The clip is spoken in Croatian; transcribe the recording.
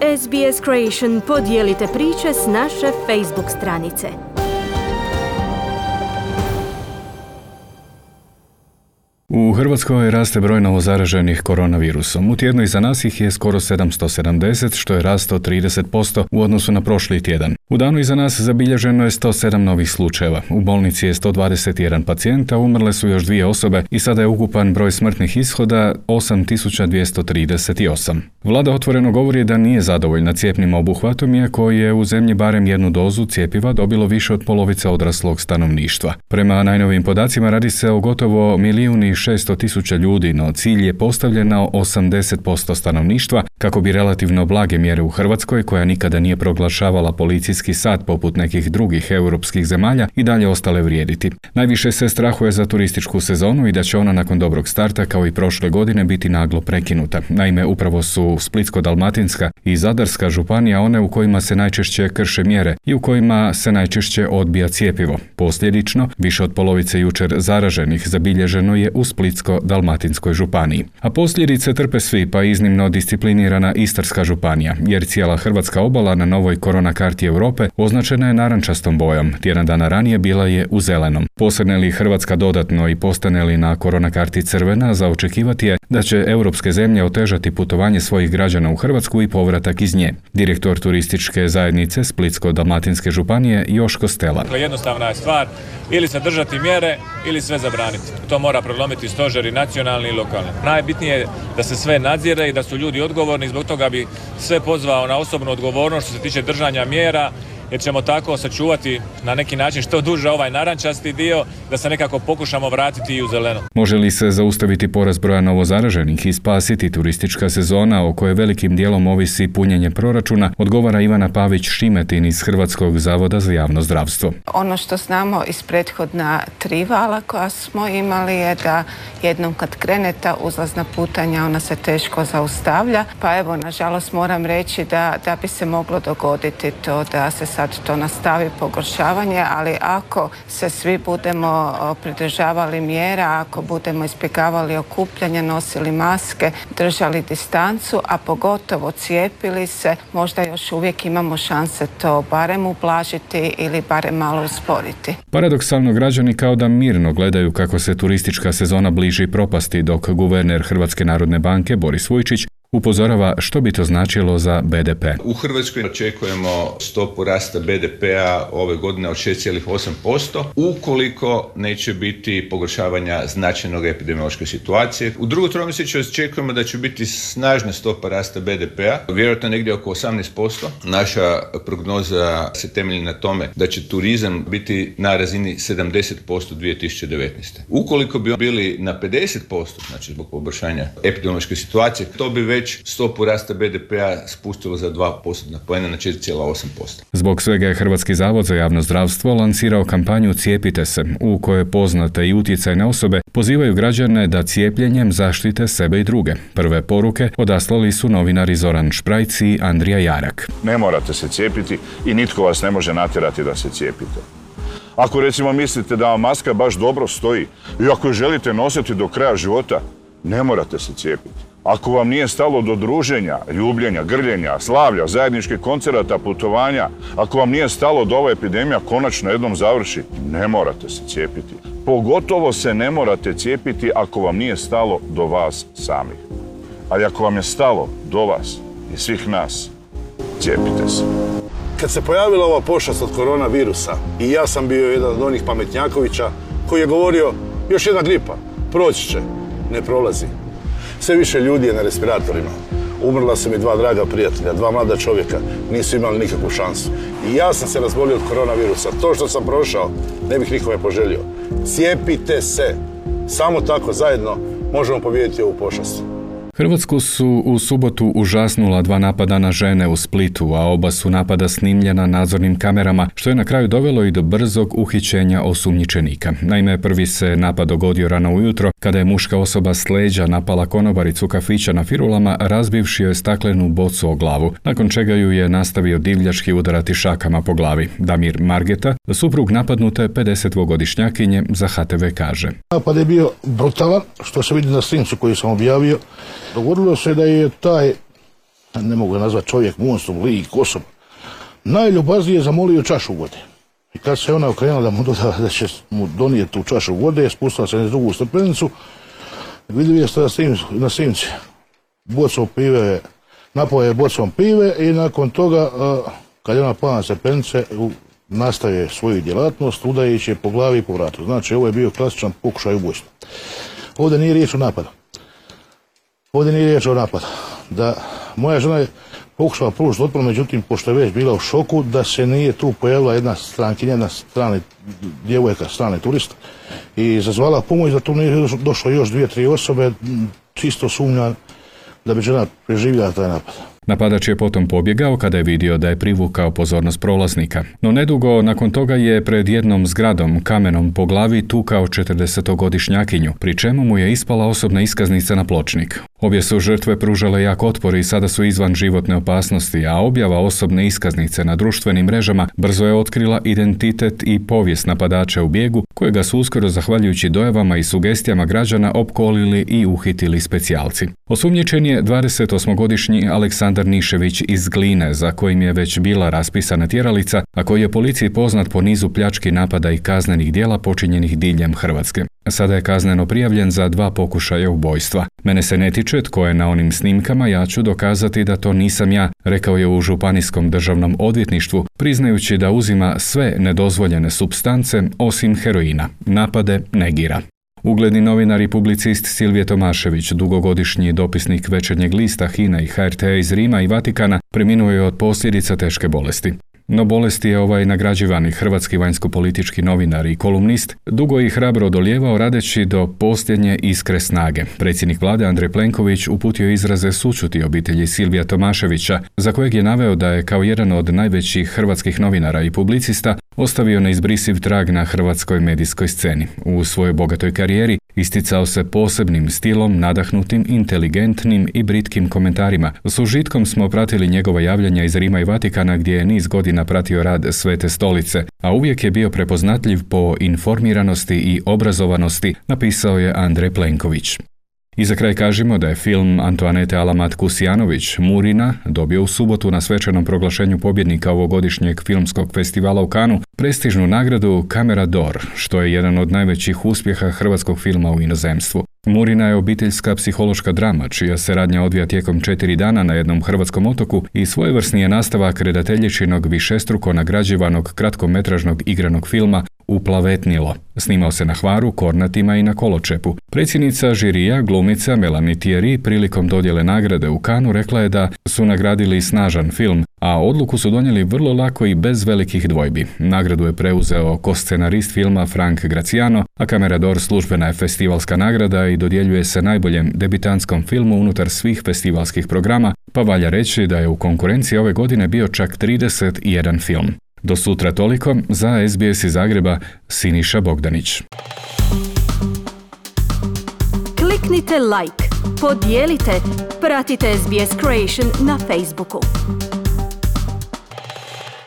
SBS Creation podijelite priče s naše Facebook stranice. U Hrvatskoj raste broj novozaraženih koronavirusom. U tjednu iza nas ih je skoro 770, što je rast od 30% u odnosu na prošli tjedan. U danu iza nas zabilježeno je 107 novih slučajeva. U bolnici je 121 pacijent, a umrle su još 2 osobe i sada je ukupan broj smrtnih ishoda 8238. Vlada otvoreno govori da nije zadovoljna cjepnim obuhvatom, iako je u zemlji barem jednu dozu cjepiva dobilo više od polovice odraslog stanovništva. Prema najnovijim podacima radi se o gotovo 1.600.000 ljudi, no cilj je postavljen na 80% stanovništva kako bi relativno blage mjere u Hrvatskoj, koja nikada nije proglašavala policijski sat poput nekih drugih europskih zemalja, i dalje ostale vrijediti. Najviše se strahuje za turističku sezonu i da će ona nakon dobrog starta kao i prošle godine biti naglo prekinuta. Naime, upravo su Splitsko-dalmatinska i Zadarska županija one u kojima se najčešće krše mjere i u kojima se najčešće odbija cjepivo. Posljedično, više od polovice jučer zaraženih zabilježeno je u Splitsko-dalmatinskoj županiji. A posljedice trpe svi, pa iznimno disciplinirana Istarska županija, jer cijela hrvatska obala na novoj korona karti Europe označena je narančastom bojom. Tjedan dana ranije bila je u zelenom. Posrne li Hrvatska dodatno i postane li na korona karti crvena, za očekivati je da će europske zemlje otežati putovanje svojih građana u Hrvatsku i povratak iz nje. Direktor turističke zajednice Splitsko-dalmatinske županije Joško Stela. Jednostavna je stvar, ili se držati mjere ili sve zabraniti. To mora prelomiti stožeri nacionalni i lokalni. Najbitnije je da se sve nadzire i da su ljudi odgovorni, zbog toga bi sve pozvao na osobnu odgovornost što se tiče držanja mjera, jer ćemo tako sačuvati na neki način što duže ovaj narančasti dio, da se nekako pokušamo vratiti i u zeleno. Može li se zaustaviti porast broja novozaraženih i spasiti turistička sezona o kojoj velikim dijelom ovisi punjenje proračuna, odgovara Ivana Pavić-Šimetin iz Hrvatskog zavoda za javno zdravstvo. Ono što znamo iz prethodna 3 vala koja smo imali je da jednom kad krene ta uzlazna putanja, ona se teško zaustavlja. Pa evo, nažalost moram reći da bi se moglo dogoditi to da se sad to nastavi pogoršavanje, ali ako se svi budemo pridržavali mjera, ako budemo izbjegavali okupljanje, nosili maske, držali distancu, a pogotovo cijepili se, možda još uvijek imamo šanse to barem ublažiti ili barem malo usporiti. Paradoksalno, građani kao da mirno gledaju kako se turistička sezona bliži propasti, dok guverner Hrvatske narodne banke Boris Vujčić upozorava što bi to značilo za BDP. U Hrvatskoj očekujemo stopu rasta BDP-a ove godine od 6,8%, ukoliko neće biti pogoršavanja značajnog epidemiološke situacije. U drugom tromjesečju očekujemo da će biti snažna stopa rasta BDP-a, vjerojatno negdje oko 18%. Naša prognoza se temelji na tome da će turizam biti na razini 70% 2019. Ukoliko bi bili na 50%, znači zbog poboljšanja epidemiološke situacije, to bi već stopu rasta BDP-a spustilo za 2% poena na 4,8%. Zbog svega je Hrvatski zavod za javno zdravstvo lansirao kampanju Cijepite se, u kojoj poznate i utjecajne osobe pozivaju građane da cijepljenjem zaštite sebe i druge. Prve poruke odaslali su novinari Zoran Šprajc i Andrija Jarak. Ne morate se cijepiti i nitko vas ne može natjerati da se cijepite. Ako recimo mislite da vam maska baš dobro stoji i ako je želite nositi do kraja života, ne morate se cijepiti. Ako vam nije stalo do druženja, ljubljenja, grljenja, slavlja, zajedničkih koncerata, putovanja, ako vam nije stalo da ova epidemija konačno jednom završi, ne morate se cijepiti. Pogotovo se ne morate cijepiti ako vam nije stalo do vas samih. Ali ako vam je stalo do vas i svih nas, cijepite se. Kad se pojavila ova pošast od koronavirusa, i ja sam bio jedan od onih pametnjakovića koji je govorio još jedna gripa, proći će, ne prolazi. Sve više ljudi je na respiratorima. Umrla su mi 2 draga prijatelja, 2 mlada čovjeka, nisu imali nikakvu šansu. I ja sam se razbolio od koronavirusa. To što sam prošao, ne bih nikome poželio. Cijepite se. Samo tako zajedno možemo pobijediti ovu pošast. Hrvatsku su u subotu užasnula 2 napada na žene u Splitu, a oba su napada snimljena nadzornim kamerama, što je na kraju dovelo i do brzog uhićenja osumnjičenika. Naime, prvi se napad dogodio rano ujutro, kada je muška osoba s leđa napala konobaricu kafića na Firulama, razbivši joj staklenu bocu o glavu, nakon čega ju je nastavio divljački udarati šakama po glavi. Damir Margeta, suprug napadnute 52-godišnjakinje, za HTV kaže. Napad je bio brutalan, što se vidi na snimcu koji sam objavio. Dogodilo se da je ne mogu ga nazvati čovjek, monstrum, lik, osoba, najljubaznije zamolio čašu vode. I kad se ona okrenula da će mu donijeti tu čašu vode, spustila se na drugu stepenicu, vidio je na snimci bocom pive, napao je bocom pive i nakon toga, kad je ona pala na stepenice, nastaje svoju djelatnost, udajući je po glavi i po vratu. Znači, ovo je bio klasičan pokušaj ubojstva. Ovdje nije riječ o napadu. Da moja žena je pokušala pružiti otpor, međutim, pošto je već bila u šoku, da se nije tu pojavila jedna strankinja, jedna strana djevojka, strani turist, i zazvala pomoć, da tu nije došlo još 2-3 osobe, čisto sumnja da bi žena preživjela taj napad. Napadač je potom pobjegao kada je vidio da je privukao pozornost prolaznika. No nedugo nakon toga je pred jednom zgradom kamenom po glavi tukao 40-godišnjakinju, pri čemu mu je ispala osobna iskaznica na pločnik. Obje su žrtve pružale jak otpor i sada su izvan životne opasnosti, a objava osobne iskaznice na društvenim mrežama brzo je otkrila identitet i povijest napadača u bijegu, kojega su uskoro, zahvaljujući dojavama i sugestijama građana, opkolili i uhitili specijalci. Osumnjičen je 28-godišnji Aleksandar Nišević iz Gline, za kojim je već bila raspisana tjeralica, a koji je policiji poznat po nizu pljački, napada i kaznenih djela počinjenih diljem Hrvatske. Sada je kazneno prijavljen za 2 pokušaja ubojstva. Mene se ne tiče tko je na onim snimkama, ja ću dokazati da to nisam ja, rekao je u Županijskom državnom odvjetništvu, priznajući da uzima sve nedozvoljene supstance osim heroina. Napade negira. Ugledni novinar i publicist Silvije Tomašević, dugogodišnji dopisnik Večernjeg lista, HINA i HRT iz Rima i Vatikana, preminuo je od posljedica teške bolesti. No bolesti je ovaj nagrađivani hrvatski vanjsko-politički novinar i kolumnist dugo i hrabro odolijevao, radeći do posljednje iskre snage. Predsjednik vlade Andrej Plenković uputio izraze sućuti obitelji Silvija Tomaševića, za kojeg je naveo da je kao jedan od najvećih hrvatskih novinara i publicista ostavio neizbrisiv trag na hrvatskoj medijskoj sceni. U svojoj bogatoj karijeri isticao se posebnim stilom, nadahnutim, inteligentnim i britkim komentarima. S užitkom smo pratili njegova javljanja iz Rima i Vatikana, gdje je niz godina pratio rad Svete stolice, a uvijek je bio prepoznatljiv po informiranosti i obrazovanosti, napisao je Andrej Plenković. I za kraj kažemo da je film Antoanete Alamat-Kusijanović Murina dobio u subotu na svečanom proglašenju pobjednika ovogodišnjeg filmskog festivala u Cannesu prestižnu nagradu Camera d'Or, što je jedan od najvećih uspjeha hrvatskog filma u inozemstvu. Murina je obiteljska psihološka drama, čija se radnja odvija tijekom 4 dana na jednom hrvatskom otoku i svojevrsni je nastavak redateljičinog višestruko nagrađivanog kratkometražnog igranog filma Uplavetnilo. Snimao se na Hvaru, Kornatima i na Koločepu. Predsjednica žirija, glumica Melanie Thierry, prilikom dodjele nagrade u Cannesu rekla je da su nagradili snažan film, a odluku su donijeli vrlo lako i bez velikih dvojbi. Nagradu je preuzeo koscenarist filma Frank Graciano, a Camera d'Or službena je festivalska nagrada i dodjeljuje se najboljem debitantskom filmu unutar svih festivalskih programa, pa valja reći da je u konkurenciji ove godine bio čak 31 film. Do sutra toliko, za SBS iz Zagreba, Siniša Bogdanić. Kliknite like, podijelite, pratite SBS Creation na Facebooku.